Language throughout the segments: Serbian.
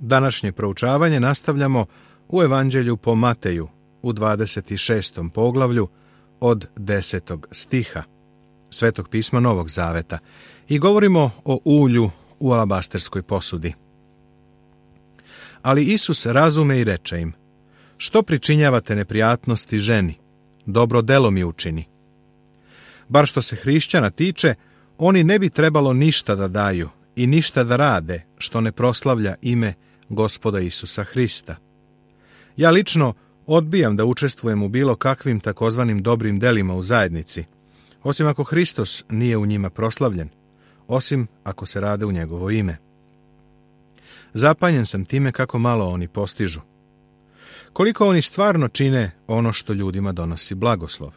Današnje proučavanje nastavljamo u Evanđelju po Mateju u 26. poglavlju od 10. stiha Svetog pisma Novog Zaveta i govorimo o ulju u alabasterskoj posudi. Ali Isus razume i reče im: što pričinjavate neprijatnosti ženi? Dobro delo mi učini. Bar što se hrišćana tiče, oni ne bi trebalo ništa da daju i ništa da rade što ne proslavlja ime Gospoda Isusa Hrista. Ja lično odbijam da učestvujem u bilo kakvim takozvanim dobrim delima u zajednici, osim ako Hristos nije u njima proslavljen, osim ako se rade u njegovo ime. Zapanjen sam time kako malo oni postižu. Koliko oni stvarno čine ono što ljudima donosi blagoslov.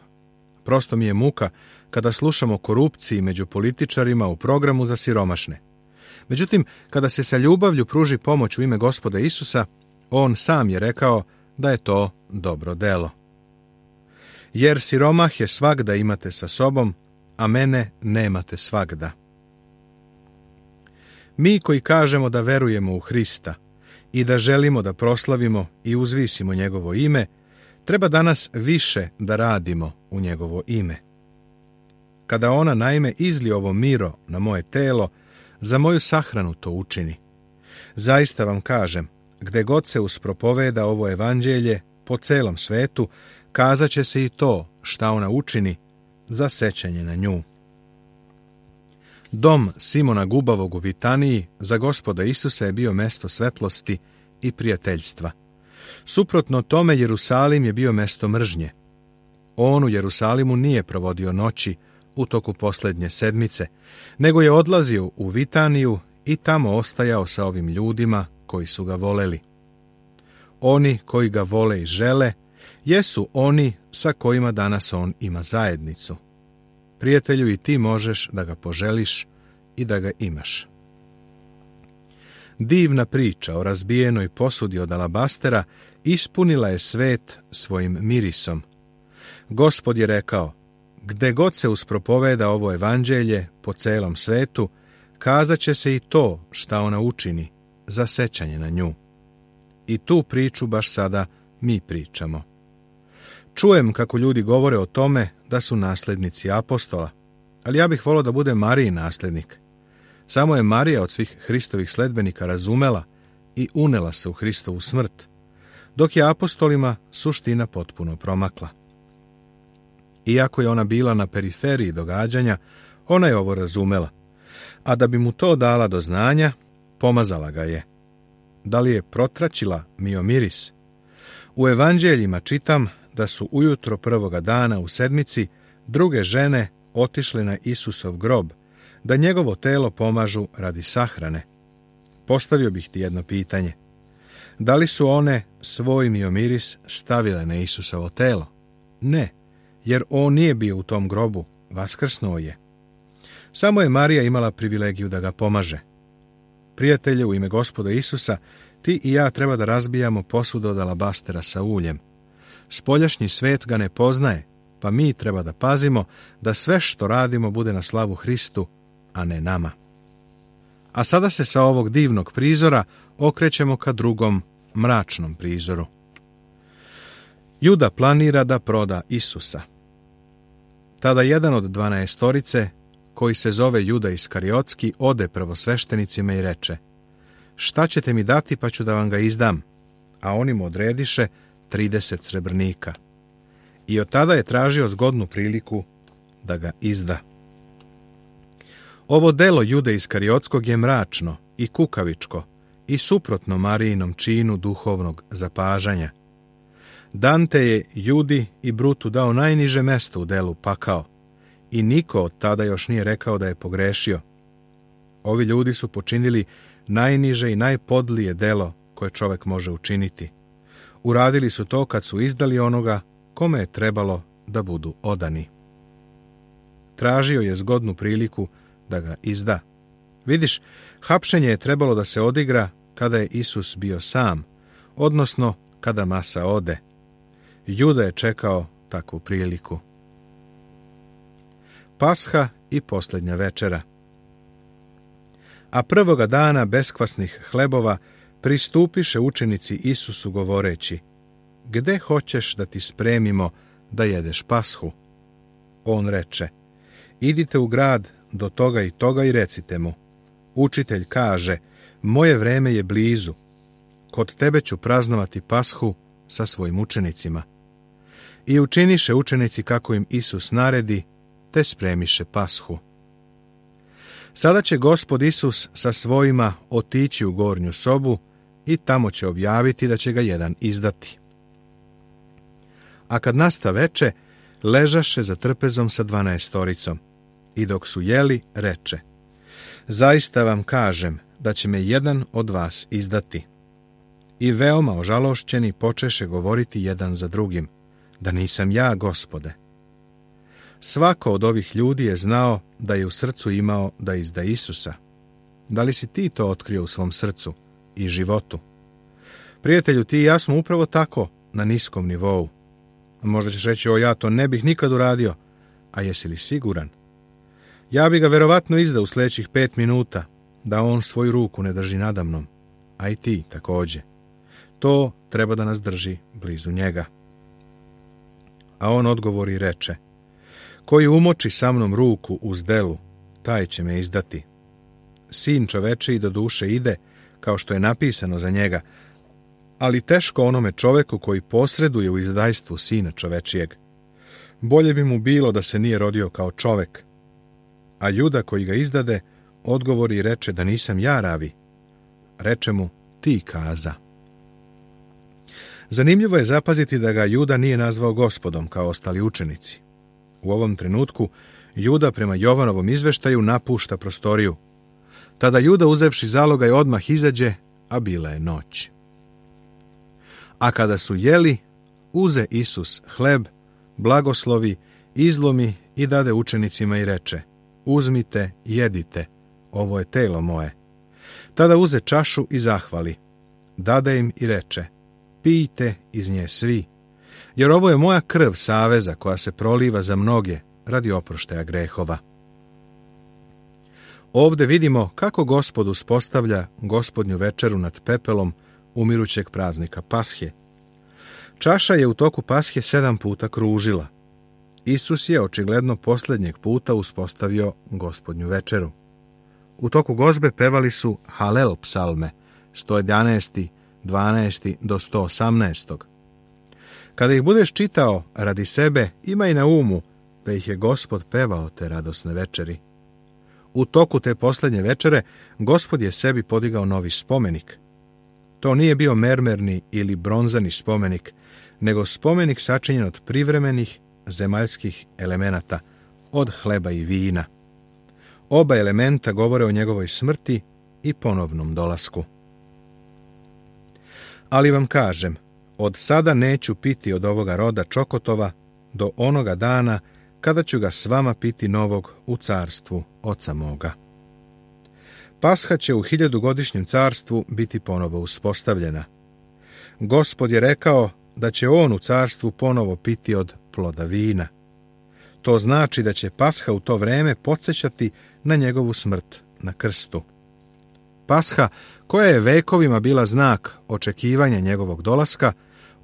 Prosto mi je muka kada slušamo o korupciji među političarima u programu za siromašne. Međutim, kada se sa ljubavlju pruži pomoć u ime Gospoda Isusa, on sam je rekao da je to dobro delo. Jer siromah je svagda imate sa sobom, a mene nemate svagda. Mi koji kažemo da verujemo u Hrista i da želimo da proslavimo i uzvisimo njegovo ime, treba danas više da radimo u njegovo ime. Kada ona naime izli ovo miro na moje telo, za moju sahranu to učini. Zaista vam kažem, gde god se uspropoveda ovo evanđelje po celom svetu, kazat će se i to šta ona učini za sećanje na nju. Dom Simona Gubavog u Vitaniji za Gospoda Isusa je bio mesto svetlosti i prijateljstva. Suprotno tome, Jerusalim je bio mesto mržnje. On u Jerusalimu nije provodio noći u toku posljednje sedmice, nego je odlazio u Vitaniju i tamo ostajao sa ovim ljudima koji su ga voleli. Oni koji ga vole i žele, jesu oni sa kojima danas on ima zajednicu. Prijatelju, i ti možeš da ga poželiš i da ga imaš. Divna priča o razbijenoj posudi od alabastera ispunila je svet svojim mirisom. Gospod je rekao: gde god se uspropoveda ovo evanđelje po celom svetu, kazat će se i to šta ona učini za sećanje na nju. I tu priču baš sada mi pričamo. Čujem kako ljudi govore o tome da su naslednici apostola, ali ja bih volio da bude Marijin naslednik. Samo je Marija od svih Hristovih sledbenika razumela i unela se u Hristovu smrt, dok je apostolima suština potpuno promakla. Iako je ona bila na periferiji događanja, ona je ovo razumela, a da bi mu to dala do znanja, pomazala ga je. Da li je protraćila mio miris? U evanđeljima čitam da su ujutro prvoga dana u sedmici druge žene otišle na Isusov grob, da njegovo telo pomažu radi sahrane. Postavio bih ti jedno pitanje. Da li su one svoj miomiris stavile na Isusovo telo? Ne, jer on nije bio u tom grobu, vaskrsnuo je. Samo je Marija imala privilegiju da ga pomaže. Prijatelje, u ime Gospoda Isusa, ti i ja treba da razbijamo posudu od alabastera sa uljem. Spoljašnji svet ga ne poznaje, pa mi treba da pazimo da sve što radimo bude na slavu Hristu, a ne nama. A sada se sa ovog divnog prizora okrećemo ka drugom, mračnom prizoru. Juda planira da proda Isusa. Tada jedan od 12, koji se zove Juda Iskariotski, ode prvosveštenicima i reče: šta ćete mi dati pa ću da vam ga izdam? A oni mu odrediše 30 srebrnika. I od tada je tražio zgodnu priliku da ga izda. Ovo delo Jude Iskariotskog je mračno i kukavičko i suprotno Marijinom činu duhovnog zapažanja. Dante je Judi i Brutu dao najniže mesto u delu pakao i niko od tada još nije rekao da je pogrešio. Ovi ljudi su počinili najniže i najpodlije delo koje čovek može učiniti. Uradili su to kad su izdali onoga kome je trebalo da budu odani. Tražio je zgodnu priliku da ga izda. Vidiš, hapšenje je trebalo da se odigra kada je Isus bio sam, odnosno kada masa ode. Juda je čekao takvu priliku. Pasha i posljednja večera. A prvoga dana beskvasnih hlebova pristupiše učenici Isusu govoreći: Gde hoćeš da ti spremimo da jedeš pashu? On reče: Idite u grad do toga i toga i recite mu: Učitelj kaže, moje vreme je blizu. Kod tebe ću praznovati pashu sa svojim učenicima. I učiniše učenici kako im Isus naredi, te spremiše pashu. Sada će Gospod Isus sa svojima otići u gornju sobu i tamo će objaviti da će ga jedan izdati. A kad nasta veče, ležaše za trpezom sa 12 i dok su jeli, reče: Zaista vam kažem da će me jedan od vas izdati. I veoma ožalošćeni počeše govoriti jedan za drugim: Da nisam ja, Gospode. Svako od ovih ljudi je znao da je u srcu imao da izda Isusa. Da li si ti to otkrio u svom srcu i životu? Prijatelju, ti i ja smo upravo tako na niskom nivou. Možda ćeš reći: ja to ne bih nikad uradio. A jesi li siguran? Ja bi ga verovatno izdao u sljedećih 5 minuta, da on svoju ruku ne drži nadamnom. A i ti također. To treba da nas drži blizu njega. A on odgovori i reče: Koji umoči sa mnom ruku uz delu, taj će me izdati. Sin čovečiji do duše ide, kao što je napisano za njega, ali teško onome čoveku koji posreduje u izdajstvu Sina čovečijeg. Bolje bi mu bilo da se nije rodio kao čovek. A Juda koji ga izdade, odgovori i reče: Da nisam ja, ravi. Reče mu: Ti kaza. Zanimljivo je zapaziti da ga Juda nije nazvao Gospodom kao ostali učenici. U ovom trenutku Juda prema Jovanovom izveštaju napušta prostoriju. Tada Juda, uzevši zalogaj, odmah izađe, a bila je noć. A kada su jeli, uze Isus hleb, blagoslovi, izlomi i dade učenicima i reče: Uzmite i jedite, ovo je telo moje. Tada uze čašu i zahvali. Dade im i reče: Pijte iz nje svi, jer ovo je moja krv saveza koja se proliva za mnoge radi oproštaja grehova. Ovde vidimo kako Gospod uspostavlja gospodnju večeru nad pepelom umirućeg praznika Pashe. Čaša je u toku Pashe 7 puta kružila. Isus je očigledno posljednjeg puta uspostavio gospodnju večeru. U toku gozbe pevali su Halel psalme, 111, 12 do 118. Kada ih budeš čitao radi sebe, imaj na umu da ih je Gospod pevao te radosne večeri. U toku te posljednje večere Gospod je sebi podigao novi spomenik. To nije bio mermerni ili bronzani spomenik, nego spomenik sačinjen od privremenih zemaljskih elemenata, od hleba i vina. Oba elementa govore o njegovoj smrti i ponovnom dolasku. Ali vam kažem, od sada neću piti od ovoga roda čokotova do onoga dana kada ću ga s vama piti novog u carstvu Oca moga. Pasha će u 1000-godišnjem carstvu biti ponovo uspostavljena. Gospod je rekao da će on u carstvu ponovo piti od ploda vina. To znači da će Pasha u to vreme podsjećati na njegovu smrt na krstu. Pasha, koja je vekovima bila znak očekivanja njegovog dolaska,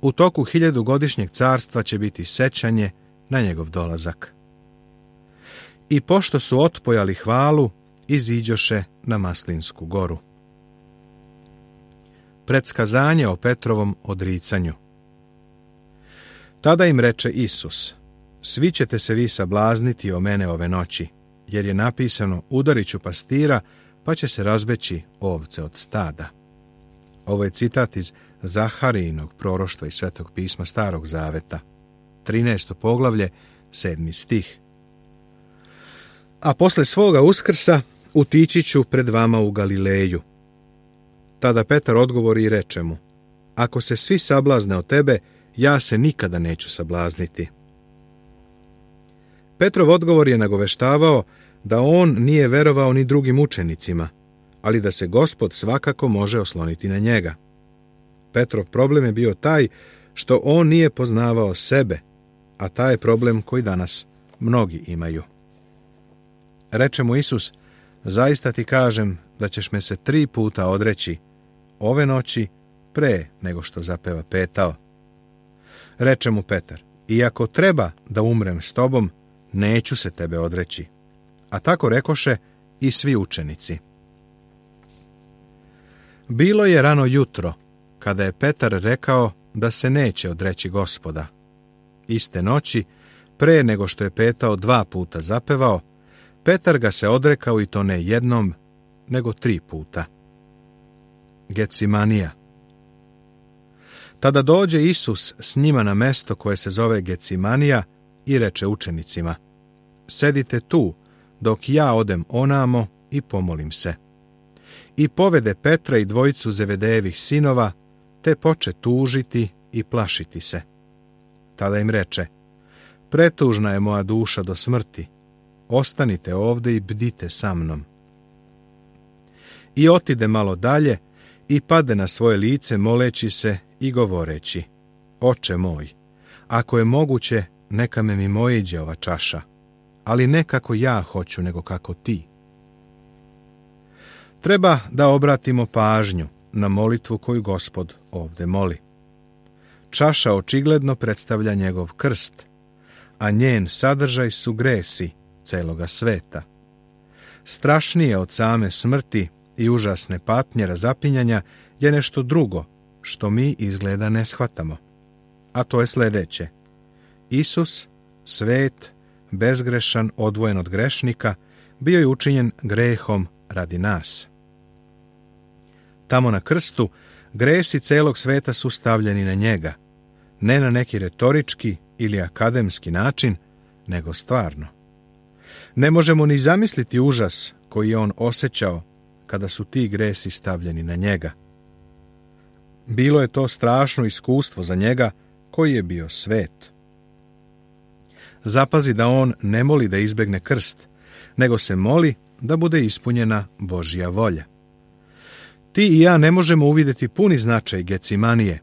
u toku 1000-godišnjeg carstva će biti sećanje na njegov dolazak. I pošto su otpojali hvalu, iziđoše na Maslinsku goru. Predskazanje o Petrovom odricanju. Tada im reče Isus: Svi ćete se vi sablazniti o mene ove noći, jer je napisano: Udarit ću pastira, pa će se razbeći ovce od stada. Ovo je citat iz Zaharijinog proroštva iz Svetog pisma Starog zaveta, 13. poglavlje, 7. stih. A posle svoga uskrsa utići ću pred vama u Galileju. Tada Petar odgovori i reče mu: Ako se svi sablazne od tebe, ja se nikada neću sablazniti. Petrov odgovor je nagoveštavao da on nije verovao ni drugim učenicima, ali da se Gospod svakako može osloniti na njega. Petrov problem je bio taj što on nije poznavao sebe, a taj je problem koji danas mnogi imaju. Reče mu Isus: Zaista ti kažem da ćeš me se 3 puta odreći, ove noći pre nego što zapeva petao. Reče mu Petar, iako treba da umrem s tobom, neću se tebe odreći. A tako rekoše i svi učenici. Bilo je rano jutro, kada je Petar rekao da se neće odreći Gospoda. Iste noći, pre nego što je petao 2 puta zapevao, Petar ga se odrekao i to ne jednom, nego 3 puta. Gecimanija. Tada dođe Isus s njima na mesto koje se zove Gecimanija i reče učenicima, sedite tu, dok ja odem onamo i pomolim se. I povede Petra i 2 Zevedejevih sinova, te poče tužiti i plašiti se. Tada im reče, pretužna je moja duša do smrti, ostanite ovde i bdite sa mnom. I otide malo dalje i pade na svoje lice moleći se i govoreći, Oče moj, ako je moguće, neka me mimoiđe ova čaša, ali ne kako ja hoću, nego kako ti. Treba da obratimo pažnju na molitvu koju Gospod ovde moli. Čaša očigledno predstavlja njegov krst, a njen sadržaj su gresi celoga sveta. Strašnije od same smrti i užasne patnje razapinjanja je nešto drugo, što mi izgleda ne shvatamo. A to je sledeće. Isus, svet, bezgrešan, odvojen od grešnika, bio je učinjen grehom radi nas. Tamo na krstu gresi celog sveta su stavljeni na njega, ne na neki retorički ili akademski način, nego stvarno. Ne možemo ni zamisliti užas koji je on osjećao kada su ti gresi stavljeni na njega. Bilo je to strašno iskustvo za njega koji je bio svet. Zapazi da on ne moli da izbegne krst, nego se moli da bude ispunjena Božja volja. Ti i ja ne možemo uvidjeti puni značaj Gecimanije,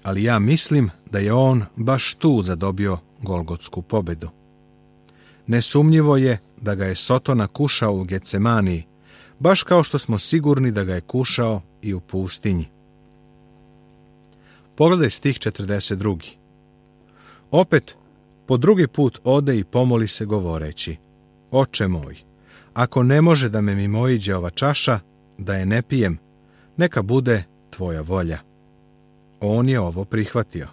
ali ja mislim da je on baš tu zadobio Golgotsku pobedu. Nesumnjivo je da ga je Sotona kušao u Gecemaniji, baš kao što smo sigurni da ga je kušao i u pustinji. Pogledaj stih 42. Opet, po 2. put ode i pomoli se govoreći, Oče moj, ako ne može da me mimoiđe ova čaša, da je ne pijem, neka bude tvoja volja. On je ovo prihvatio.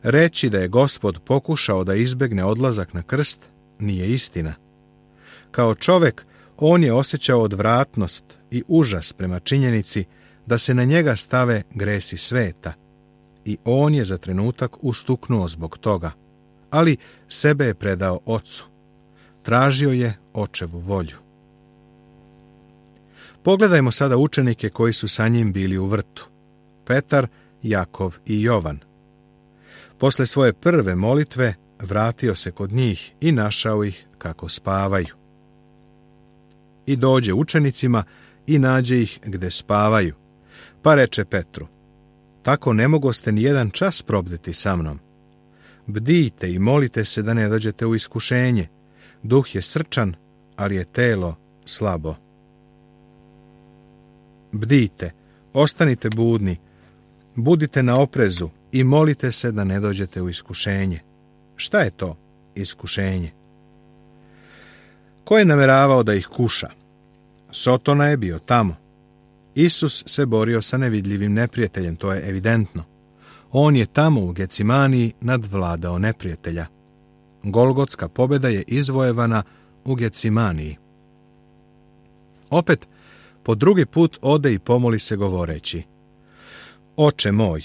Reći da je Gospod pokušao da izbegne odlazak na krst nije istina. Kao čovek, on je osjećao odvratnost i užas prema činjenici da se na njega stave gresi sveta i on je za trenutak ustuknuo zbog toga, ali sebe je predao Ocu. Tražio je Očevu volju. Pogledajmo sada učenike koji su sa njim bili u vrtu. Petar, Jakov i Jovan. Posle svoje prve molitve vratio se kod njih i našao ih kako spavaju. I dođe učenicima i nađe ih gde spavaju. Pa reče Petru, tako ne mogoste ni jedan čas probdeti sa mnom. Bdijte i molite se da ne dođete u iskušenje. Duh je srčan, ali je telo slabo. Bdijte, ostanite budni, budite na oprezu i molite se da ne dođete u iskušenje. Šta je to iskušenje? Ko je nameravao da ih kuša? Sotona je bio tamo. Isus se borio sa nevidljivim neprijateljem, to je evidentno. On je tamo u Gecimaniji nadvladao neprijatelja. Golgotska pobjeda je izvojevana u Gecimaniji. Opet, po 2. put ode i pomoli se govoreći, Oče moj,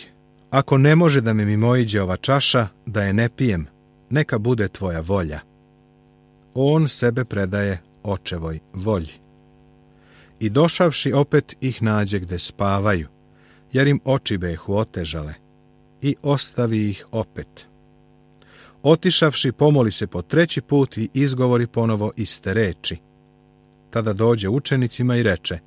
ako ne može da me mimoiđe ova čaša, da je ne pijem, neka bude tvoja volja. On sebe predaje Očevoj volji. I došavši opet ih nađe gde spavaju, jer im oči behu otežale, i ostavi ih opet. Otišavši pomoli se po 3. put i izgovori ponovo iste reči. Tada dođe učenicima i reče,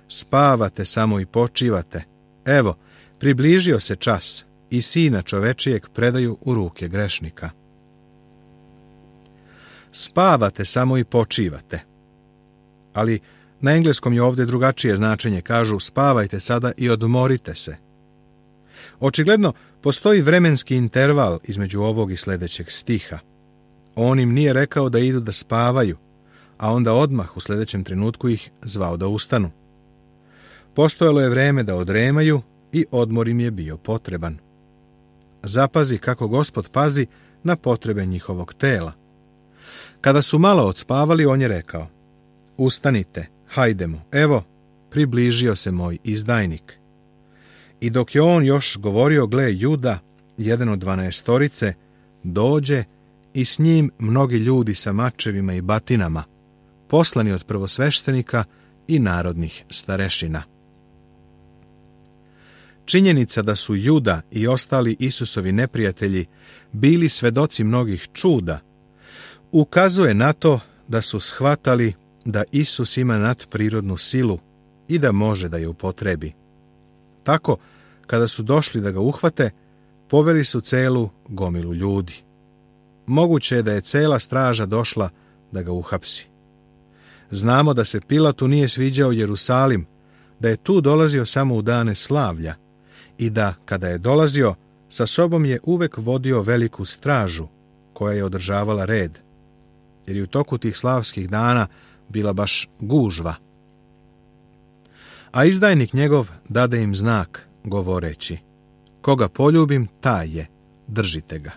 spavate samo i počivate. Evo, približio se čas i Sina čovečijeg predaju u ruke grešnika. Spavate samo i počivate. Ali Na engleskom je ovdje drugačije značenje, kažu spavajte sada i odmorite se. Očigledno, postoji vremenski interval između ovog i sljedećeg stiha. On im nije rekao da idu da spavaju, a onda odmah u sljedećem trenutku ih zvao da ustanu. Postojalo je vreme da odremaju i odmor im je bio potreban. Zapazi kako Gospod pazi na potrebe njihovog tela. Kada su malo odspavali, on je rekao: ustanite, hajdemo, evo, približio se moj izdajnik. I dok je on još govorio, gle, Juda, jedan od 12, dođe i s njim mnogi ljudi sa mačevima i batinama, poslani od prvosveštenika i narodnih starešina. Činjenica da su Juda i ostali Isusovi neprijatelji bili svedoci mnogih čuda, ukazuje na to da su shvatali da Isus ima nadprirodnu silu i da može da je upotrebi. Tako, kada su došli da ga uhvate, poveli su celu gomilu ljudi. Moguće je da je cela straža došla da ga uhapsi. Znamo da se Pilatu nije sviđao Jerusalim, da je tu dolazio samo u dane slavlja i da, kada je dolazio, sa sobom je uvek vodio veliku stražu koja je održavala red, jer je u toku tih slavskih dana bila baš gužva. A izdajnik njegov dade im znak, govoreći: koga poljubim, taj je, držite ga.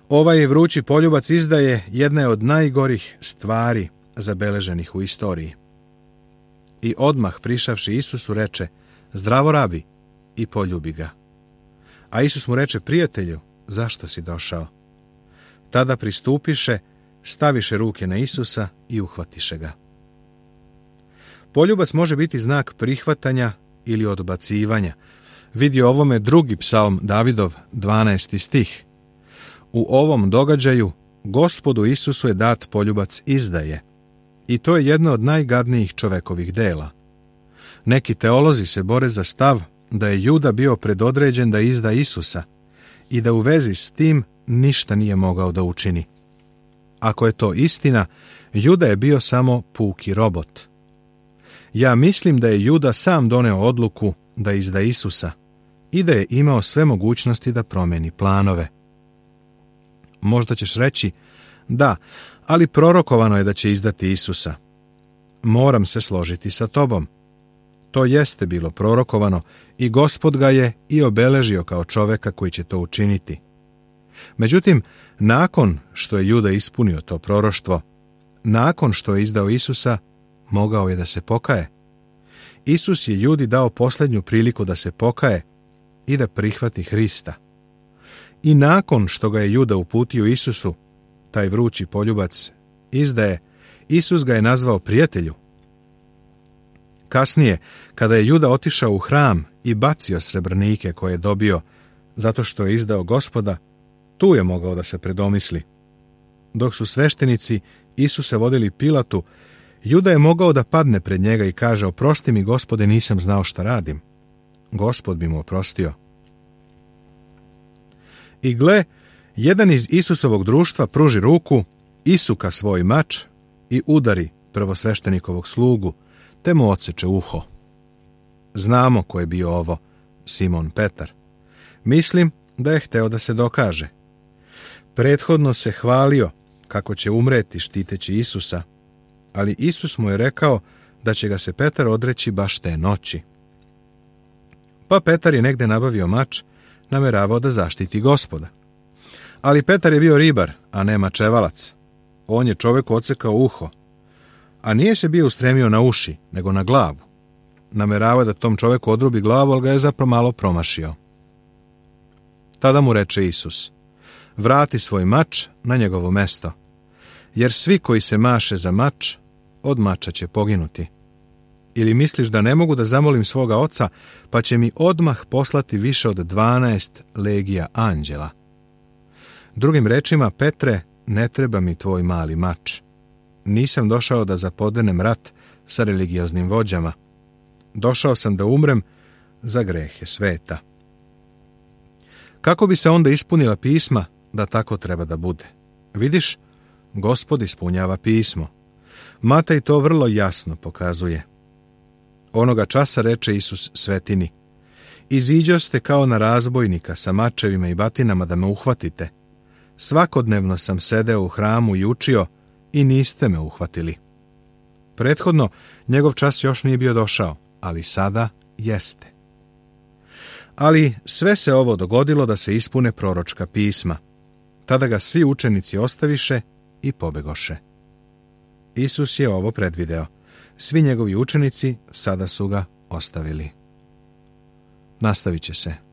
Ovaj vrući poljubac izdaje jedna je od najgorih stvari zabeleženih u istoriji. I odmah prišavši Isusu reče: zdravo, rabi, i poljubi ga. A Isus mu reče: prijatelju, zašto si došao? Tada pristupiše, staviše ruke na Isusa i uhvatiše ga. Poljubac može biti znak prihvatanja ili odbacivanja. Vidi ovome 2. psalm Davidov, 12. stih. U ovom događaju Gospodu Isusu je dat poljubac izdaje. I to je jedno od najgadnijih čovekovih dela. Neki teolozi se bore za stav da je Juda bio predodređen da izda Isusa i da u vezi s tim ništa nije mogao da učini. Ako je to istina, Juda je bio samo puki robot. Ja mislim da je Juda sam doneo odluku da izda Isusa i da je imao sve mogućnosti da promeni planove. Možda ćeš reći: da, ali prorokovano je da će izdati Isusa. Moram se složiti sa tobom. To jeste bilo prorokovano i Gospod ga je i obeležio kao čoveka koji će to učiniti. Međutim, nakon što je Juda ispunio to proroštvo, nakon što je izdao Isusa, mogao je da se pokaje. Isus je Judi dao posljednju priliku da se pokaje i da prihvati Hrista. I nakon što ga je Juda uputio Isusu, taj vrući poljubac izdaje, Isus ga je nazvao prijatelju. Kasnije, kada je Juda otišao u hram i bacio srebrnike koje je dobio zato što je izdao Gospoda, tu je mogao da se predomisli. Dok su sveštenici Isusa vodili Pilatu, Juda je mogao da padne pred njega i kaže: oprosti mi, Gospode, nisam znao šta radim. Gospod bi mu oprostio. I gle, jedan iz Isusovog društva pruži ruku, isuka svoj mač i udari prvosveštenikovog slugu, te mu odseče uho. Znamo ko je bio ovo, Simon Petar. Mislim da je hteo da se dokaže. Prethodno se hvalio kako će umreti štiteći Isusa, ali Isus mu je rekao da će ga se Petar odreći baš te noći. Pa Petar je negde nabavio mač, nameravao da zaštiti Gospoda. Ali Petar je bio ribar, a ne mačevalac. On je čoveku odsekao uho, a nije se bio ustremio na uši, nego na glavu. Nameravao da tom čoveku odrubi glavu, ali ga je zapravo malo promašio. Tada mu reče Isus: vrati svoj mač na njegovo mesto, jer svi koji se maše za mač, od mača će poginuti. Ili misliš da ne mogu da zamolim svoga oca, pa će mi odmah poslati više od 12 legija anđela? Drugim rečima: Petre, ne treba mi tvoj mali mač. Nisam došao da zapodenem rat sa religioznim vođama. Došao sam da umrem za grehe sveta. Kako bi se onda ispunila pisma da tako treba da bude? Vidiš, Gospod ispunjava pismo. Matej to vrlo jasno pokazuje. Onoga časa reče Isus svetini: Iziđoste kao na razbojnika sa mačevima i batinama da me uhvatite. Svakodnevno sam sedeo u hramu i učio i niste me uhvatili. Prethodno, njegov čas još nije bio došao, ali sada jeste. Ali sve se ovo dogodilo da se ispune proročka pisma. Tada ga svi učenici ostaviše i pobegoše. Isus je ovo predvideo. Svi njegovi učenici sada su ga ostavili. Nastavit će se.